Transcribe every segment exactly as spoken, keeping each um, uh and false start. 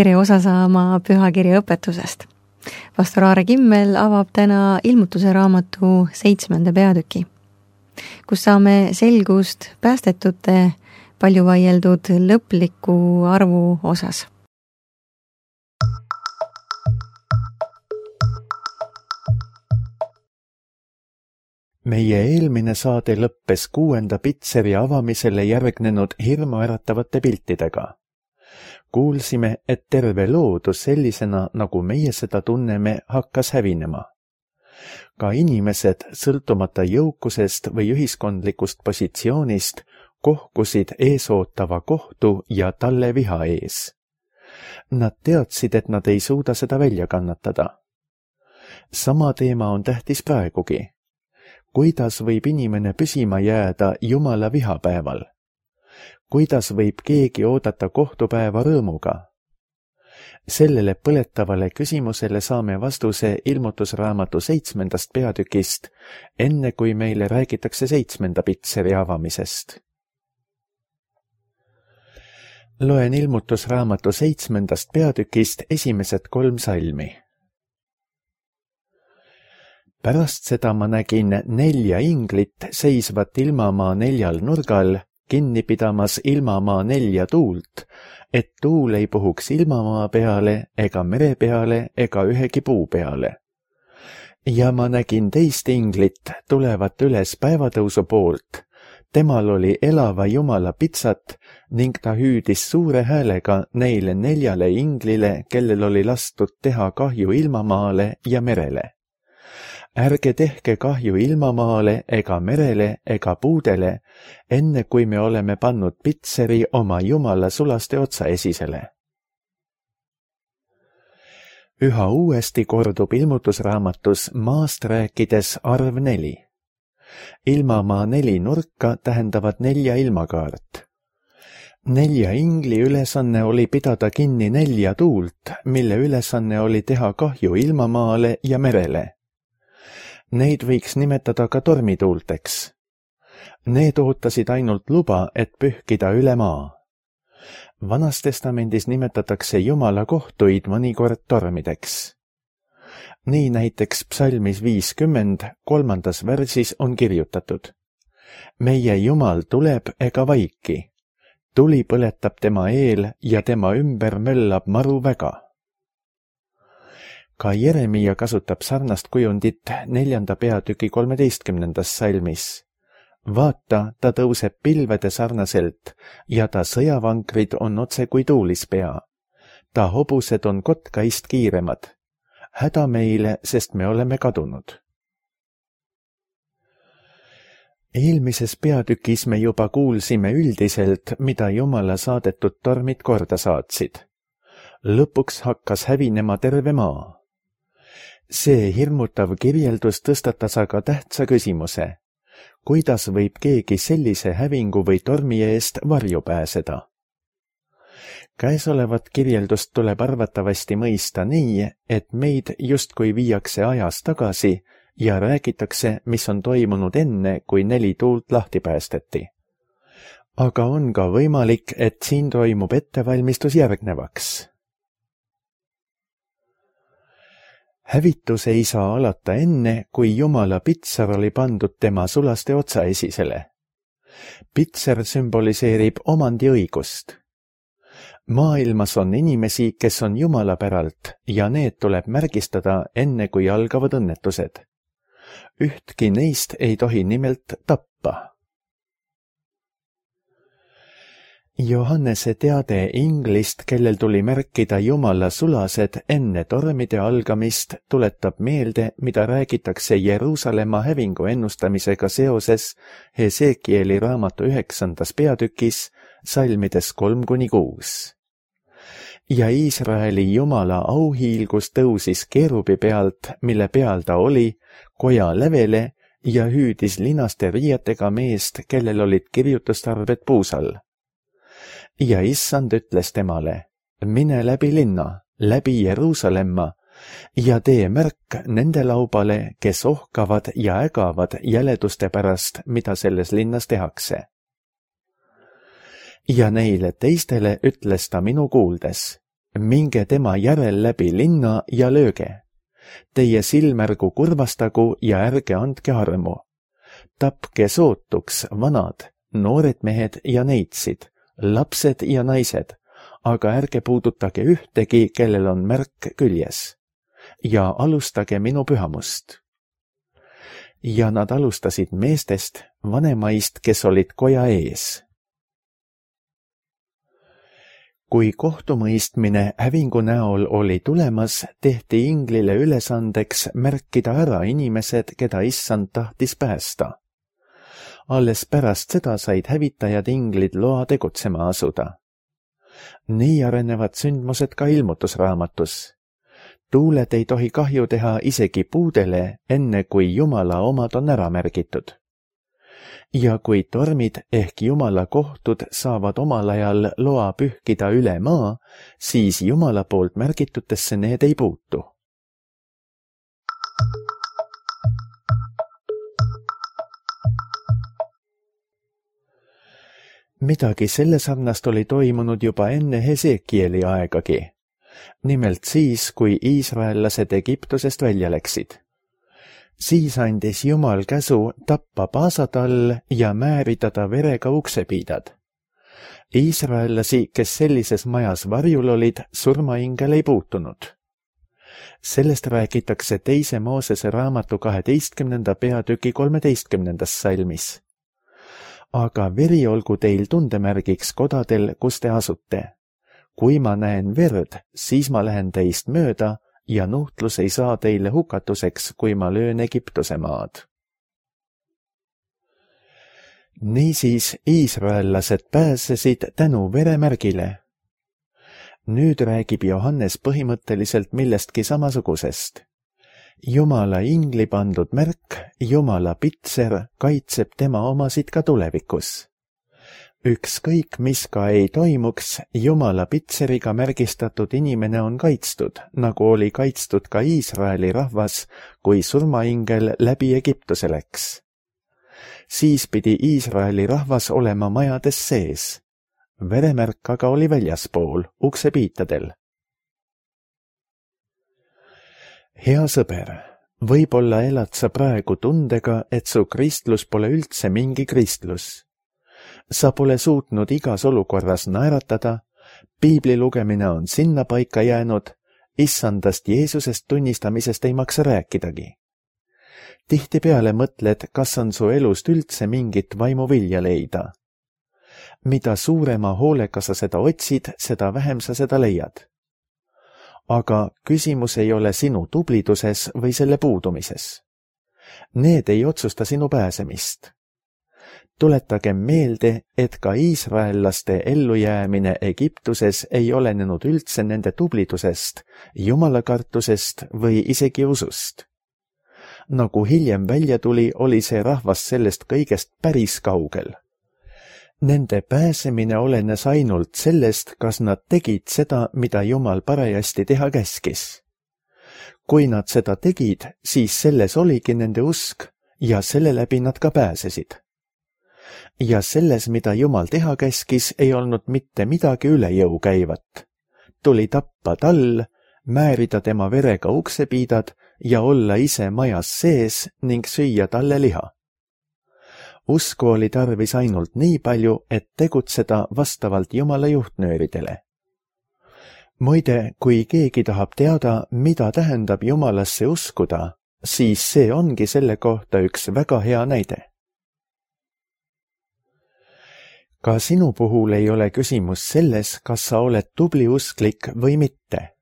tere osa saama pühakirja õpetusest. Pastor Aare Kimmel avab täna ilmutuse raamatu seitsmenda peatüki, kus saame selgust päästetute palju vaieldud lõpliku arvu osas. Meie eelmine saade lõppes kuuenda pitseri avamisele järgnenud hirmuäratavate piltidega. Kuulsime, et terve loodus sellisena, nagu meie seda tunneme, hakkas hävinema. Ka inimesed, sõltumata jõukusest või ühiskondlikust positsioonist, kohkusid eesootava kohtu ja talle viha ees. Nad teadsid, et nad ei suuda seda välja kannatada. Sama teema on tähtis praegugi. Kuidas võib inimene püsima jääda Jumala vihapäeval? Kuidas võib keegi oodata kohtupäeva rõõmuga? Sellele põletavale küsimusele saame vastuse ilmutusraamatu seitsmendast peatükist, enne kui meile räägitakse seitsmenda pitseri avamisest. Loen ilmutusraamatu seitsmendast peatükist esimesed kolm salmi. Pärast seda ma nägin nelja inglit seisvat ilmamaa neljal nurgal, kinni pidamas ilmamaa nelja tuult, et tuul ei puhuks ilmamaa peale ega mere peale ega ühegi puu peale. Ja ma nägin teist inglit tulevat üles päevatõusu poolt. Temal oli elava Jumala pitsat ning ta hüüdis suure häälega neile neljale inglile, kellel oli lastud teha kahju ilmamaale ja merele. Ärge tehke kahju ilmamaale ega merele ega puudele, enne kui me oleme pannud pitseri oma Jumala sulaste otsaesisele. Üha uuesti kordub ilmutusraamatus maast rääkides arv neli. Ilmamaa neli nurka tähendavad nelja ilmakaart. Nelja ingli ülesanne oli pidada kinni nelja tuult, mille ülesanne oli teha kahju ilmamaale ja merele. Neid võiks nimetada ka tormituulteks. Need ootasid ainult luba, et pühkida üle maa. Vanas testamendis nimetatakse Jumala kohtuid mõnikord tormideks. Nii näiteks psalmis viiskümmend kolmandas värsis on kirjutatud: Meie Jumal tuleb ega vaiki. Tuli põletab tema eel ja tema ümber möllab maru väga. Ka Jeremia kasutab sarnast kujundit neljanda peatüki kolmeteistkümnendas salmis. Vaata, ta tõuseb pilvede sarnaselt ja ta sõjavankrid on otse kui tuulispea. Ta hobused on kotkaist kiiremad. Häda meile, sest me oleme kadunud. Eelmises peatükis me juba kuulsime üldiselt, mida Jumala saadetud tormid korda saatsid. Lõpuks hakkas hävinema terve maa. See hirmutav kirjeldus tõstatas aga tähtsa küsimuse. Kuidas võib keegi sellise hävingu või tormi eest varju pääseda? Käesolevat kirjeldust tuleb arvatavasti mõista nii, et meid justkui viiakse ajas tagasi ja räägitakse, mis on toimunud enne, kui neli tuult lahti päästeti. Aga on ka võimalik, et siin toimub ettevalmistus järgnevaks. Hävitus ei saa alata enne, kui Jumala pitsar oli pandud tema sulaste otsaesisele. Pitser sümboliseerib omandiõigust. Maailmas on inimesi, kes on Jumala päralt ja need tuleb märgistada enne, kui algavad õnnetused. Ühtki neist ei tohi nimelt tappa. Johannese teade inglist, kellel tuli märkida Jumala sulased enne tormide algamist, tuletab meelde, mida räägitakse Jeruusalemma hävingu ennustamisega seoses Hesekieli raamatu üheksandas peatükis, salmides kolm kuni kuus. Ja Iisraeli Jumala auhiilgus tõusis keerubi pealt, mille peal ta oli, koja lävele ja hüüdis linaste riietega meest, kellel olid kirjutustarved puusal. Ja issand ütles temale: mine läbi linna, läbi Jeruusalemma ja tee märk nende laubale, kes ohkavad ja ägavad jäleduste pärast, mida selles linnas tehakse. Ja neile teistele ütles ta minu kuuldes: minge tema järel läbi linna ja lööge. Teie silmärgu kurvastagu ja ärge andke armu. Tapke sootuks vanad, noored mehed ja neitsid, lapsed ja naised, aga ärge puudutage ühtegi, kellel on märk küljes. Ja alustage minu pühamust. Ja nad alustasid meestest, vanemaist, kes olid koja ees. Kui kohtumõistmine hävingu näol oli tulemas, tehti inglile ülesandeks märkida ära inimesed, keda issand tahtis päästa. Alles pärast seda said hävitajad inglid loa tegutsema asuda. Nii arenevad sündmused ka ilmutusraamatus. Tuuled ei tohi kahju teha isegi puudele, enne kui Jumala omad on ära märgitud. Ja kui tormid ehk Jumala kohtud saavad omal ajal loa pühkida üle maa, siis Jumala poolt märgitutesse need ei puutu. Midagi selle sarnast oli toimunud juba enne Hesekieli aegagi. Nimelt siis, kui iisraellased Egiptusest välja läksid. Siis andis Jumal käsu tappa paasatall ja määrida ta verega uksepiidad. Iisraellasi, kes sellises majas varjul olid, surmaingel ei puutunud. Sellest räägitakse teise Moosese raamatu kaheteistkümnenda peatüki kolmeteistkümnendas salmis. Aga veri olgu teil tundemärgiks kodadel, kus te asute. Kui ma näen verd, siis ma lähen teist mööda ja nuhtlus ei saa teile hukatuseks, kui ma löön Egiptuse maad. Niisiis iisraellased pääsesid tänu veremärgile. Nüüd räägib Johannes põhimõtteliselt millestki samasugusest. Jumala ingli pandud märk, Jumala pitser, kaitseb tema omasid ka tulevikus. Ükskõik, mis ka ei toimuks, Jumala pitseriga märgistatud inimene on kaitstud, nagu oli kaitstud ka Iisraeli rahvas, kui surmaingel läbi Egiptuse läks. Siis pidi Iisraeli rahvas olema majades sees. Veremärk aga oli väljaspool, uksepiitadel. Hea sõber, võib-olla elad sa praegu tundega, et su kristlus pole üldse mingi kristlus. Sa pole suutnud igas olukorras naeratada, piibli lugemine on sinna paika jäänud, issandast Jeesusest tunnistamisest ei maksa rääkidagi. Tihtipeale mõtled, kas on su elust üldse mingit vaimuvilja leida. Mida suurema hoolega sa seda otsid, seda vähem sa seda leiad. Aga küsimus ei ole sinu tubliduses või selle puudumises. Need ei otsusta sinu pääsemist. Tuletagem meelde, et ka iisraellaste ellujäämine Egiptuses ei olenenud üldse nende tublidusest, jumalakartusest või isegi usust. Nagu hiljem välja tuli, oli see rahvas sellest kõigest päris kaugel. Nende pääsemine olenes ainult sellest, kas nad tegid seda, mida Jumal parajasti teha käskis. Kui nad seda tegid, siis selles oligi nende usk ja selle läbi nad ka pääsesid. Ja selles, mida Jumal teha käskis, ei olnud mitte midagi üle jõu käivat. Tuli tappa tall, määrida tema verega uksepiidad ja olla ise majas sees ning süüa talle liha. Usku oli tarvis ainult nii palju, et tegutseda vastavalt Jumala juhtnööridele. Muide, kui keegi tahab teada, mida tähendab Jumalasse uskuda, siis see ongi selle kohta üks väga hea näide. Ka sinu puhul ei ole küsimus selles, kas sa oled tubli usklik või mitte.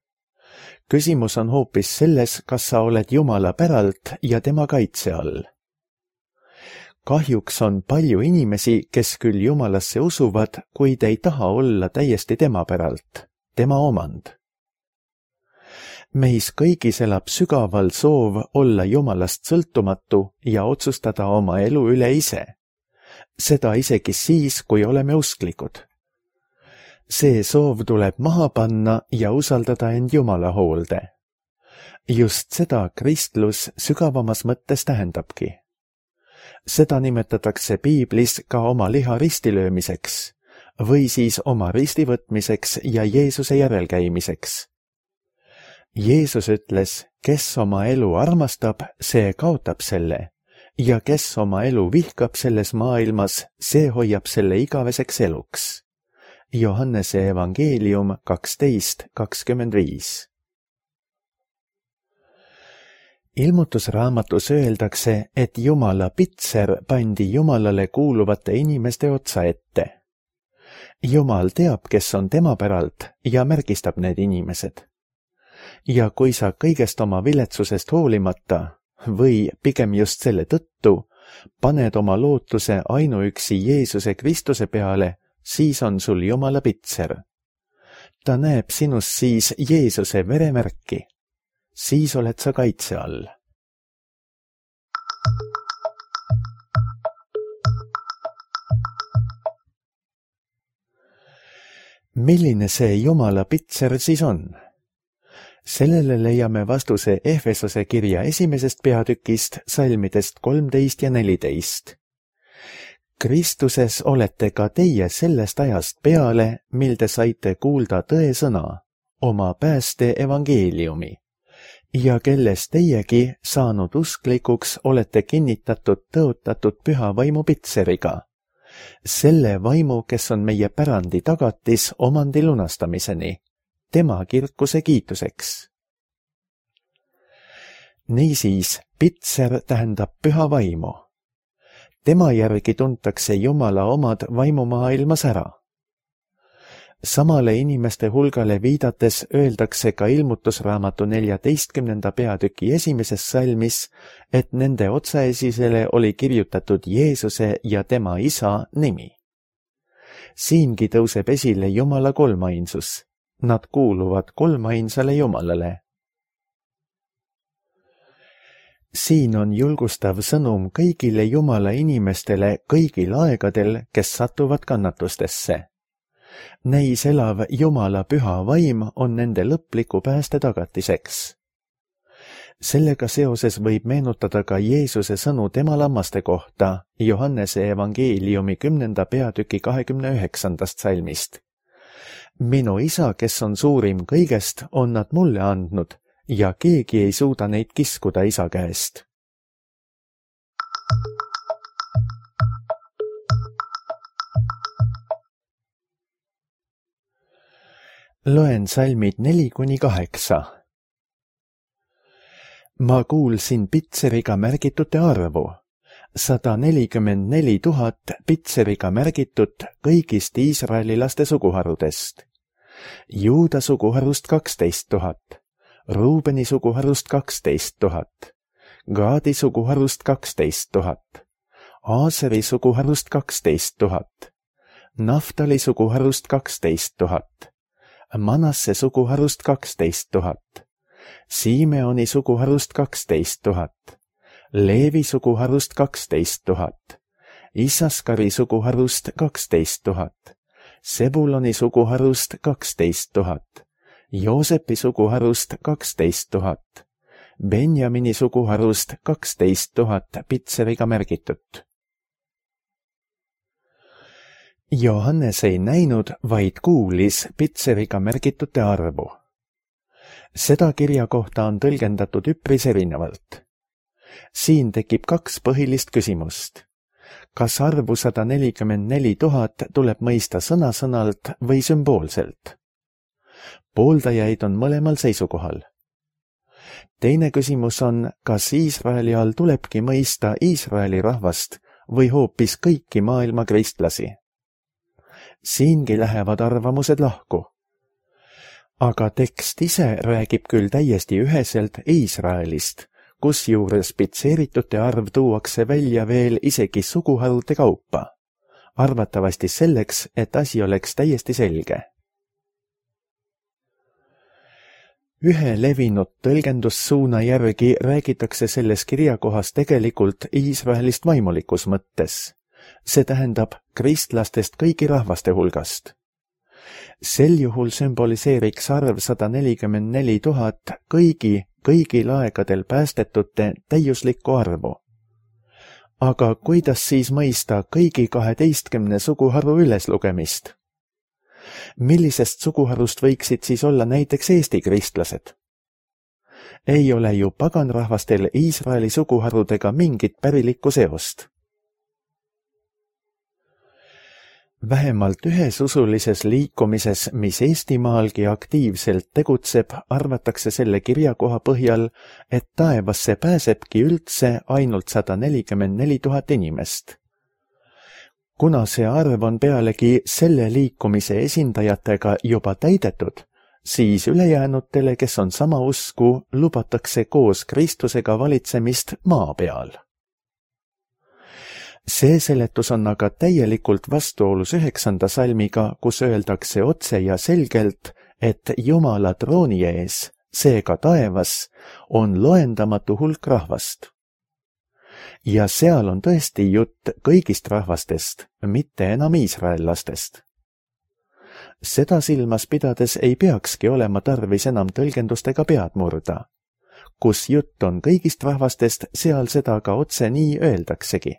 Küsimus on hoopis selles, kas sa oled Jumala päralt ja tema kaitse all. Kahjuks on palju inimesi, kes küll Jumalasse usuvad, kuid ei taha olla täiesti tema päralt, tema omand. Meis kõigis elab sügaval soov olla Jumalast sõltumatu ja otsustada oma elu üle ise. Seda isegi siis, kui oleme usklikud. See soov tuleb maha panna ja usaldada end Jumala hoolde. Just seda kristlus sügavamas mõttes tähendabki. Seda nimetatakse piiblis ka oma liha ristilöömiseks või siis oma risti võtmiseks ja Jeesuse järelkäimiseks. Jeesus ütles, kes oma elu armastab, see kaotab selle, ja kes oma elu vihkab selles maailmas, see hoiab selle igaveseks eluks. Johannese evangeelium kaksteist kakskümmend viis. Ilmutusraamatus öeldakse, et Jumala pitser pandi Jumalale kuuluvate inimeste otsa ette. Jumal teab, kes on tema päralt ja märgistab need inimesed. Ja kui sa kõigest oma viletsusest hoolimata või pigem just selle tõttu paned oma lootuse ainuüksi Jeesuse Kristuse peale, siis on sul Jumala pitser. Ta näeb sinus siis Jeesuse veremärki. Siis oled sa kaitse all. Milline see Jumala pitser siis on? Sellele leiame vastuse Efesose kirja esimesest peatükist, salmidest kolmteist ja neliteist. Kristuses olete ka teie sellest ajast peale, mil te saite kuulda tõe sõna, oma pääste evangeeliumi, ja kelles teiegi saanud usklikuks olete kinnitatud tõotatud püha vaimu pitseriga, selle vaimu, kes on meie pärandi tagatis omandi lunastamiseni, tema kirkuse kiituseks. Niisiis, pitser tähendab püha vaimu. Tema järgi tuntakse Jumala omad vaimumaailmas ära. Samale inimeste hulgale viidates öeldakse ka ilmutusraamatu neljateistkümnenda peatüki esimeses salmis, et nende otsaesisele oli kirjutatud Jeesuse ja tema isa nimi. Siingi tõuseb esile Jumala kolmainsus. Nad kuuluvad kolmainsale Jumalale. Siin on julgustav sõnum kõigile Jumala inimestele kõigil aegadel, kes satuvad kannatustesse. Neis elav Jumala püha vaim on nende lõpliku pääste tagatiseks. Sellega seoses võib meenutada ka Jeesuse sõnu tema lammaste kohta Johannese evangeeliumi kümnenda peatüki kahekümne üheksandast salmist. Minu isa, kes on suurim kõigest, on nad mulle andnud ja keegi ei suuda neid kiskuda isa käest. Loen salmid neli kuni kaheksa. Ma kuulsin pitseriga märgitute arvu, sada nelikümmend neli tuhat pitseriga märgitut kõigist Iisraeli laste suguharudest. Juuda suguharust kaksteist tuhat, Ruubeni suguharust kaksteist tuhat, Gaadi suguharust kaksteist tuhat, Aaseri suguharust kaksteist tuhat, Naftali suguharust kaksteist tuhat, Manasse suguharust kaksteist tuhat, Siimeoni suguharust kaksteist tuhat, Leevi suguharust kaksteist tuhat, Issaskari suguharust kaksteist tuhat, Sebuloni suguharust kaksteist tuhat, Joosepi suguharust kaksteist tuhat, Benjamini suguharust kaksteist tuhat pitseriga märgitut. Johannes ei näinud, vaid kuulis pitseriga märgitute arvu. Seda kirja kohta on tõlgendatud üpris erinevalt. Siin tekib kaks põhilist küsimust. Kas arvu sada nelikümmend neli tuhat tuleb mõista sõna-sõnalt või sümboolselt? Pooldajaid on mõlemal seisukohal. Teine küsimus on, kas Iisraeli all tulebki mõista Iisraeli rahvast või hoopis kõiki maailma kristlasi. Siingi lähevad arvamused lahku. Aga tekst ise räägib küll täiesti üheselt Iisraelist, kusjuures pitseeritute arv tuuakse välja veel isegi suguharude kaupa, arvatavasti selleks, et asi oleks täiesti selge. Ühe levinud tõlgendussuuna järgi räägitakse selles kirjakohas tegelikult Iisraelist vaimulikus mõttes. See tähendab kristlastest kõigi rahvaste hulgast. Sel juhul sümboliseeriks arv sada nelikümmend neli tuhat kõigi, kõigil aegadel päästetute täiuslikku arvu. Aga kuidas siis mõista kõigi kaheteistkümne suguharu üleslugemist, Millisest suguharust võiksid siis olla näiteks Eesti kristlased? Ei ole ju paganrahvastel Iisraeli suguharudega mingit pärilikku seost. Vähemalt ühes usulises liikumises, mis Eestimaalgi aktiivselt tegutseb, arvatakse selle kirjakoha põhjal, et taevasse pääsebki üldse ainult sada nelikümmend neli tuhat inimest. Kuna see arv on pealegi selle liikumise esindajatega juba täidetud, siis ülejäänutele, kes on sama usku, lubatakse koos Kristusega valitsemist maa peal. See seletus on aga täielikult vastuolus üheksanda salmiga, kus öeldakse otse ja selgelt, et Jumala trooni ees, seega taevas, on loendamatu hulk rahvast. Ja seal on tõesti jutt kõigist rahvastest, mitte enam iisraellastest. Seda silmas pidades ei peakski olema tarvis enam tõlgendustega pead murda. Kus jutt on kõigist rahvastest, seal seda ka otse nii öeldaksegi.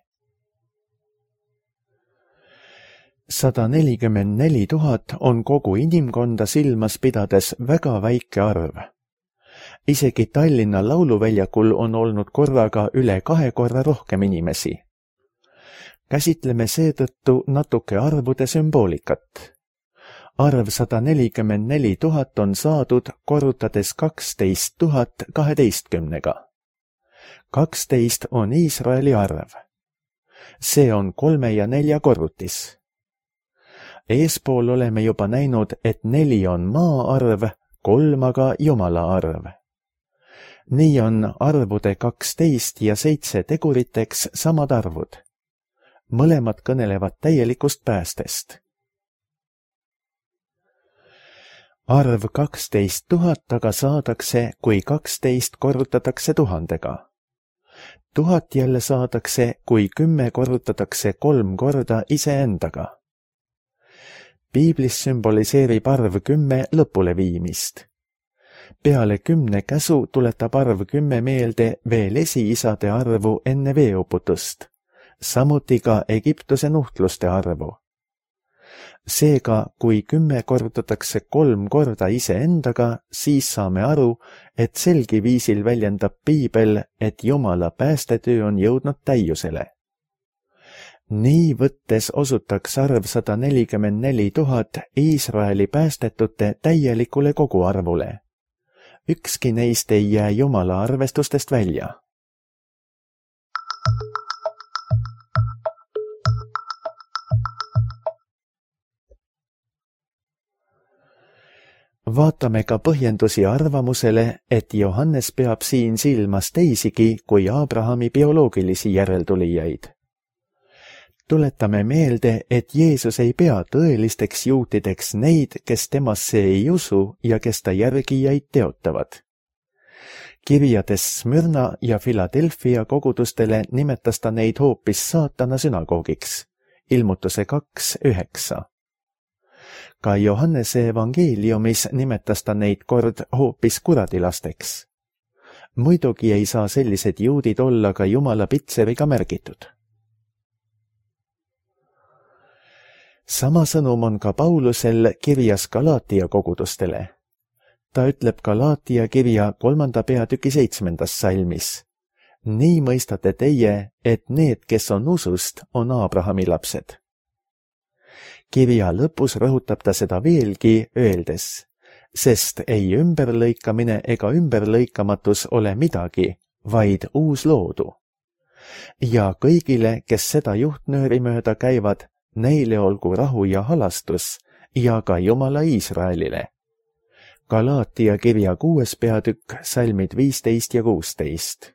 sada nelikümmend neli tuhat on kogu inimkonda silmas pidades väga väike arv. Isegi Tallinna lauluväljakul on olnud korraga üle kahe korra rohkem inimesi. Käsitleme seetõttu natuke arvude sümboolikat. Arv sada nelikümmend neli tuhat on saadud korrutades kaksteist tuhat kaheteistkümnega. kaksteist on Iisraeli arv. See on kolme ja nelja korrutis. Eespool oleme juba näinud, et neli on maa arv, kolm aga Jumala arv. Nii on arvude kaksteist ja seitse teguriteks samad arvud. Mõlemad kõnelevad täielikust päästest. Arv kaksteist tuhat aga saadakse, kui kaksteist korrutatakse tuhandega. Tuhat jälle saadakse, kui kümme korrutatakse kolm korda iseendaga. Piiblis sümboliseerib arv kümme lõpuleviimist. Peale kümne käsu tuletab arv kümme meelde veel esiisade arvu enne veeuputust, samuti ka Egiptuse nuhtluste arvu. Seega, kui kümme korrutatakse kolm korda iseendaga, siis saame aru, et selgi viisil väljendab Piibel, et Jumala päästetöö on jõudnud täiusele. Nii võttes osutaks arv sada nelikümmend neli tuhat Iisraeli päästetute täielikule koguarvule. Ükski neist ei jää Jumala arvestustest välja. Vaatame ka põhjendusi arvamusele, et Johannes peab siin silmas teisigi kui Abrahami bioloogilisi järeltulijaid. Tuletame meelde, et Jeesus ei pea tõelisteks juutideks neid, kes temasse ei usu ja kes ta järgijaid teotavad. Kirjades Smyrna ja Philadelphia kogudustele nimetas ta neid hoopis saatana sünagoogiks. Ilmutuse kaks üheksa. Ka Johannese evangeeliumis nimetas ta neid kord hoopis kuradilasteks. Muidugi ei saa sellised juudid olla ka Jumala pitseriga märgitud. Sama sõnum on ka Paulusel kirjas Galaatia kogudustele. Ta ütleb Galaatia kirja kolmanda peatüki seitsmendas salmis. Nii mõistate teie, et need, kes on usust, on Abrahami lapsed. Kirja lõpus rõhutab ta seda veelgi, öeldes, sest ei ümberlõikamine ega ümberlõikamatus ole midagi, vaid uus loodu. Ja kõigile, kes seda juhtnööri mööda käivad, neile olgu rahu ja halastus ja ka Jumala Iisraelile. Galaatia kirja kuues peatükk, salmid viisteist ja kuusteist.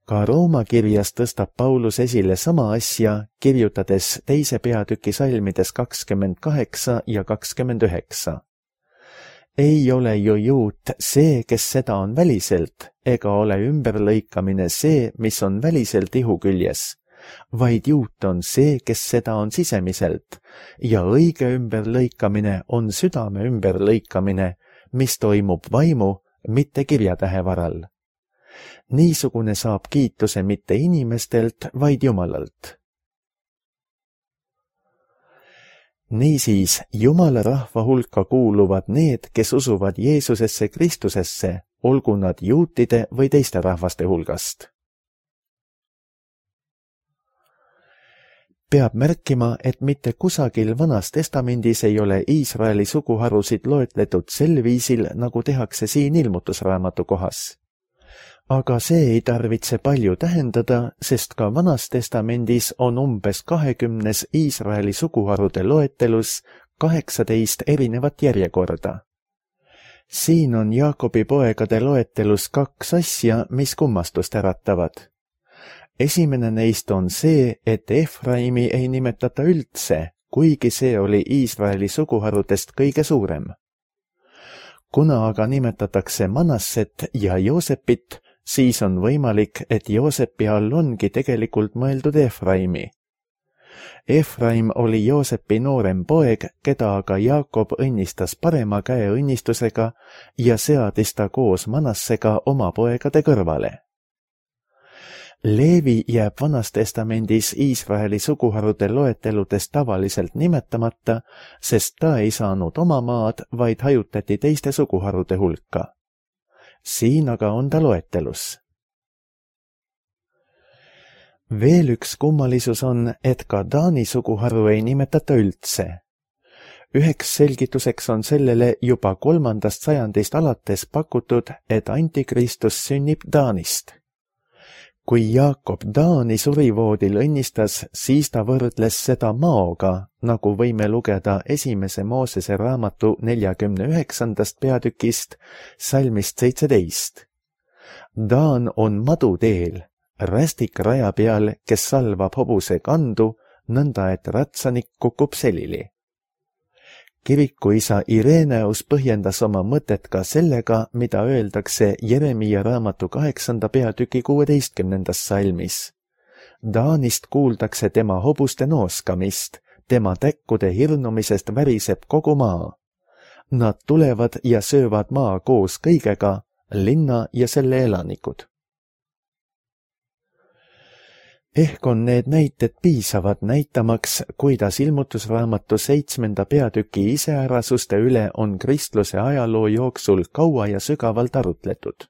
Ka Rooma kirjas tõstab Paulus esile sama asja, kirjutades teise peatüki salmides kakskümmend kaheksa ja kakskümmend üheksa. Ei ole ju juut see, kes seda on väliselt, ega ole ümberlõikamine see, mis on väliselt ihu küljes, vaid juut on see, kes seda on sisemiselt, ja õige ümberlõikamine on südame ümberlõikamine, mis toimub vaimu, mitte kirjatähe varal. Niisugune saab kiituse mitte inimestelt, vaid Jumalalt. Niisiis, Jumala rahva hulka kuuluvad need, kes usuvad Jeesusesse Kristusesse, olgu nad juutide või teiste rahvaste hulgast. Peab märkima, et mitte kusagil Vanas Testamendis ei ole Iisraeli suguharusid loetletud sel viisil, nagu tehakse siin ilmutusraamatu kohas. Aga see ei tarvitse palju tähendada, sest ka Vanas Testamendis on umbes kahekümnes Iisraeli suguharude loetelus kaheksateist erinevat järjekorda. Siin on Jaakobi poegade loetelus kaks asja, mis kummastust äratavad. Esimene neist on see, et Efraimi ei nimetata üldse, kuigi see oli Iisraeli suguharudest kõige suurem. Kuna aga nimetatakse Manasset ja Joosepit, siis on võimalik, et Joosepi all ongi tegelikult mõeldud Efraimi. Efraim oli Joosepi noorem poeg, keda aga Jaakob õnnistas parema käe õnnistusega ja seadis ta koos Manassega oma poegade kõrvale. Leevi jääb Vanas Testamendis Iisraeli suguharude loeteludes tavaliselt nimetamata, sest ta ei saanud oma maad, vaid hajutati teiste suguharude hulka. Siin aga on ta loetelus. Veel üks kummalisus on, et ka Taani suguharu ei nimetata üldse. Üheks selgituseks on sellele juba kolmandast sajandist alates pakutud, et Antikristus sünnib Taanist. Kui Jaakob Taani surivoodil õnnistas, siis ta võrdles seda maoga, nagu võime lugeda esimese Moosese raamatu neljakümne üheksandast peatükist, salmist seitseteist. Taan on maduteel, rästik raja peal, kes salvab hobuse kandu, nõnda et ratsanik kukub selili. Kirikuisa Ireneus põhjendas oma mõtet ka sellega, mida öeldakse Jeremiia raamatu kaheksanda peatüki kuueteistkümnendas salmis. Taanist kuuldakse tema hobuste nooskamist, tema täkkude hirnumisest väriseb kogu maa. Nad tulevad ja söövad maa koos kõigega, linna ja selle elanikud. Ehk on need näited piisavad näitamaks, kuidas ilmutusraamatu seitsmenda peatüki iseärasuste üle on kristluse ajaloo jooksul kaua ja sügavalt arutletud.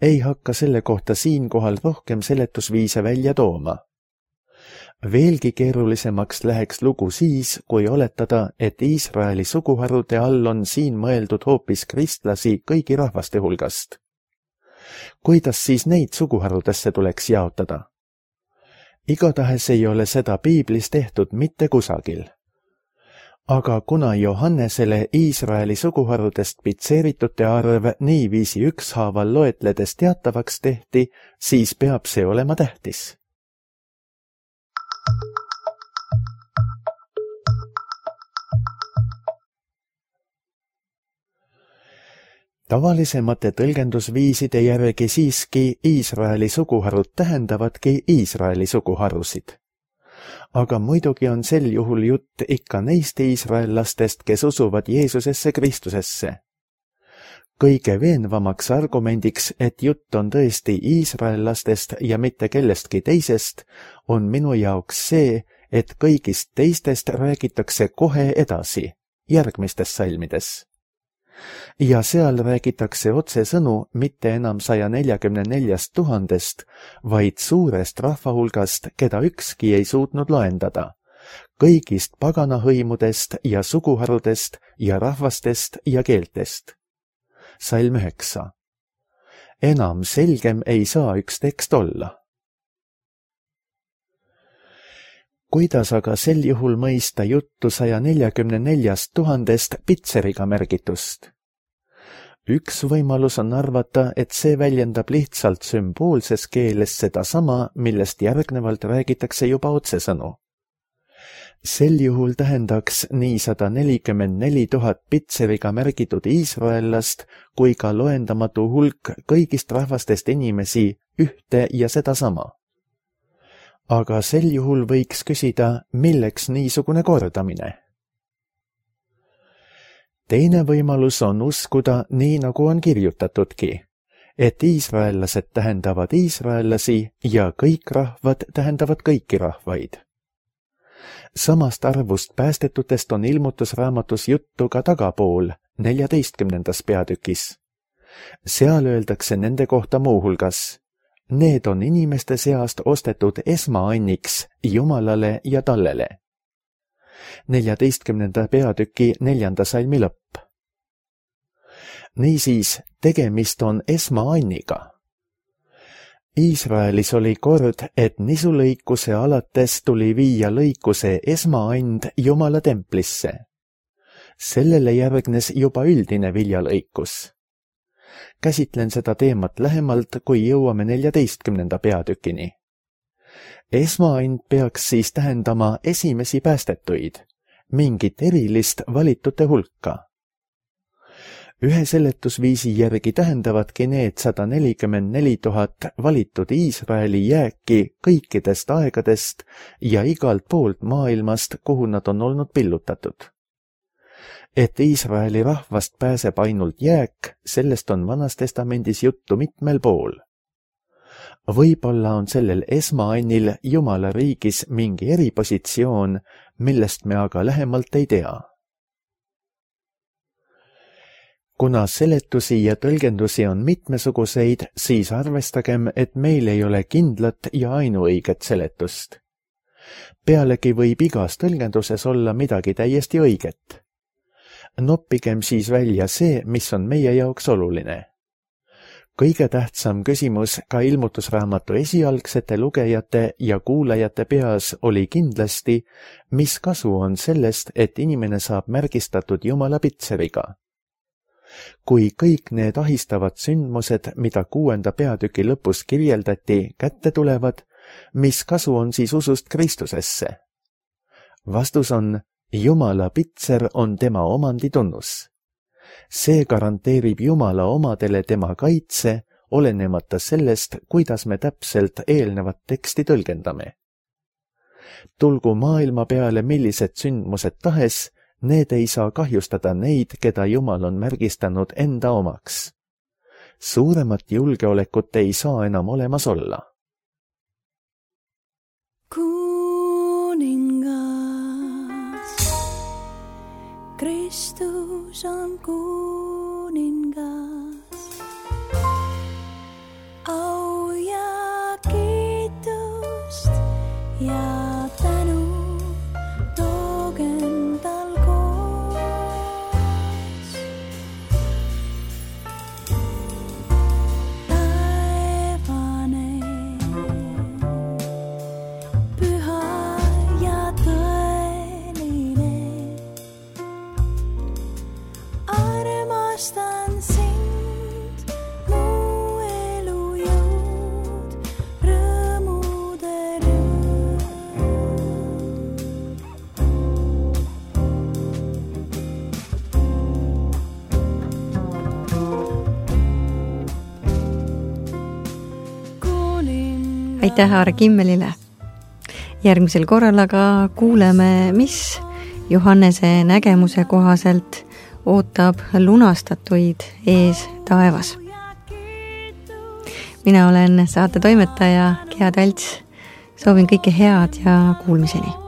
Ei hakka selle kohta siinkohal rohkem seletusviise välja tooma. Veelgi keerulisemaks läheks lugu siis, kui oletada, et Iisraeli suguharude all on siin mõeldud hoopis kristlasi kõigi rahvaste hulgast. Kuidas siis neid suguharudesse tuleks jaotada? Igatahes ei ole seda piiblis tehtud mitte kusagil. Aga kuna Johannesele Iisraeli suguharudest pitseeritute arv niiviisi ükshaaval loetledes teatavaks tehti, siis peab see olema tähtis. Tavalisemate tõlgendusviiside järgi siiski Iisraeli suguharud tähendavadki Iisraeli suguharusid. Aga muidugi on sel juhul jutt ikka neist iisraellastest, kes usuvad Jeesusesse Kristusesse. Kõige veenvamaks argumendiks, et jutt on tõesti iisraellastest ja mitte kellestki teisest, on minu jaoks see, et kõigist teistest räägitakse kohe edasi, järgmistes salmides. Ja seal räägitakse otsesõnu mitte enam saja neljakümne neljast tuhandest, vaid suurest rahvahulgast, keda ükski ei suutnud loendada, kõigist paganahõimudest ja suguharudest ja rahvastest ja keeltest. Salm üheksa. Enam selgem ei saa üks tekst olla. Kuidas aga sel juhul mõista juttu saja neljakümne neljast tuhandest pitseriga märgitust? Üks võimalus on arvata, et see väljendab lihtsalt sümboolses keeles sedasama, millest järgnevalt räägitakse juba otsesõnu. Sel juhul tähendaks nii sada nelikümmend neli tuhat pitseriga märgitud iisraellast kui ka loendamatu hulk kõigist rahvastest inimesi ühte ja sedasama. Aga sel juhul võiks küsida, milleks niisugune kordamine? Teine võimalus on uskuda nii, nagu on kirjutatudki, et iisraellased tähendavad iisraellasi ja kõik rahvad tähendavad kõiki rahvaid. Samast arvust päästetutest on ilmutusraamatus juttu ka tagapool, neljateistkümnendas peatükis. Seal öeldakse nende kohta muuhulgas: need on inimeste seast ostetud esmaanniks Jumalale ja Tallele. neljateistkümnenda peatüki neljanda salmi lõpp. Niisiis, tegemist on esmaanniga. Iisraelis oli kord, et nisulõikuse alates tuli viia lõikuse esmaand Jumala templisse. Sellele järgnes juba üldine viljalõikus. Käsitlen seda teemat lähemalt, kui jõuame neljateistkümnenda peatükini. Esmaand peaks siis tähendama esimesi päästetuid, mingit erilist valitute hulka. Ühe seletusviisi järgi tähendavadki need sada nelikümmend neli tuhat valitud Iisraeli jääki kõikidest aegadest ja igalt poolt maailmast, kuhu nad on olnud pillutatud. Et Iisraeli rahvast pääseb ainult jääk, sellest on Vanas Testamendis juttu mitmel pool. Võib-olla on sellel esmaannil Jumala riigis mingi eripositsioon, millest me aga lähemalt ei tea. Kuna seletusi ja tõlgendusi on mitmesuguseid, siis arvestagem, et meil ei ole kindlat ja ainuõiget seletust. Pealegi võib igas tõlgenduses olla midagi täiesti õiget. Noppigem siis välja see, mis on meie jaoks oluline. Kõige tähtsam küsimus ka ilmutusraamatu esialgsete lugejate ja kuulajate peas oli kindlasti, mis kasu on sellest, et inimene saab märgistatud Jumala pitseriga. Kui kõik need ahistavad sündmused, mida kuuenda peatüki lõpus kirjeldati, kätte tulevad, mis kasu on siis usust Kristusesse? Vastus on: Jumala pitser on tema omanditunnus. See garanteerib Jumala omadele tema kaitse, olenemata sellest, kuidas me täpselt eelnevat teksti tõlgendame. Tulgu maailma peale millised sündmused tahes, need ei saa kahjustada neid, keda Jumal on märgistanud enda omaks. Suuremat julgeolekut ei saa enam olemas olla. Kristus on kuningas, au ja kiitust ja tänu toogem tal koos. Taevane, püha ja tõeline, armastan sind, mu elu jõud, rõõmude rõõm. Aitäh Aare Kimmelile! Järgmisel korral aga kuuleme, mis Johannese nägemuse kohaselt ootab lunastatuid ees taevas. Mina olen saate toimetaja Gea Talts. Soovin kõike head ja kuulmiseni!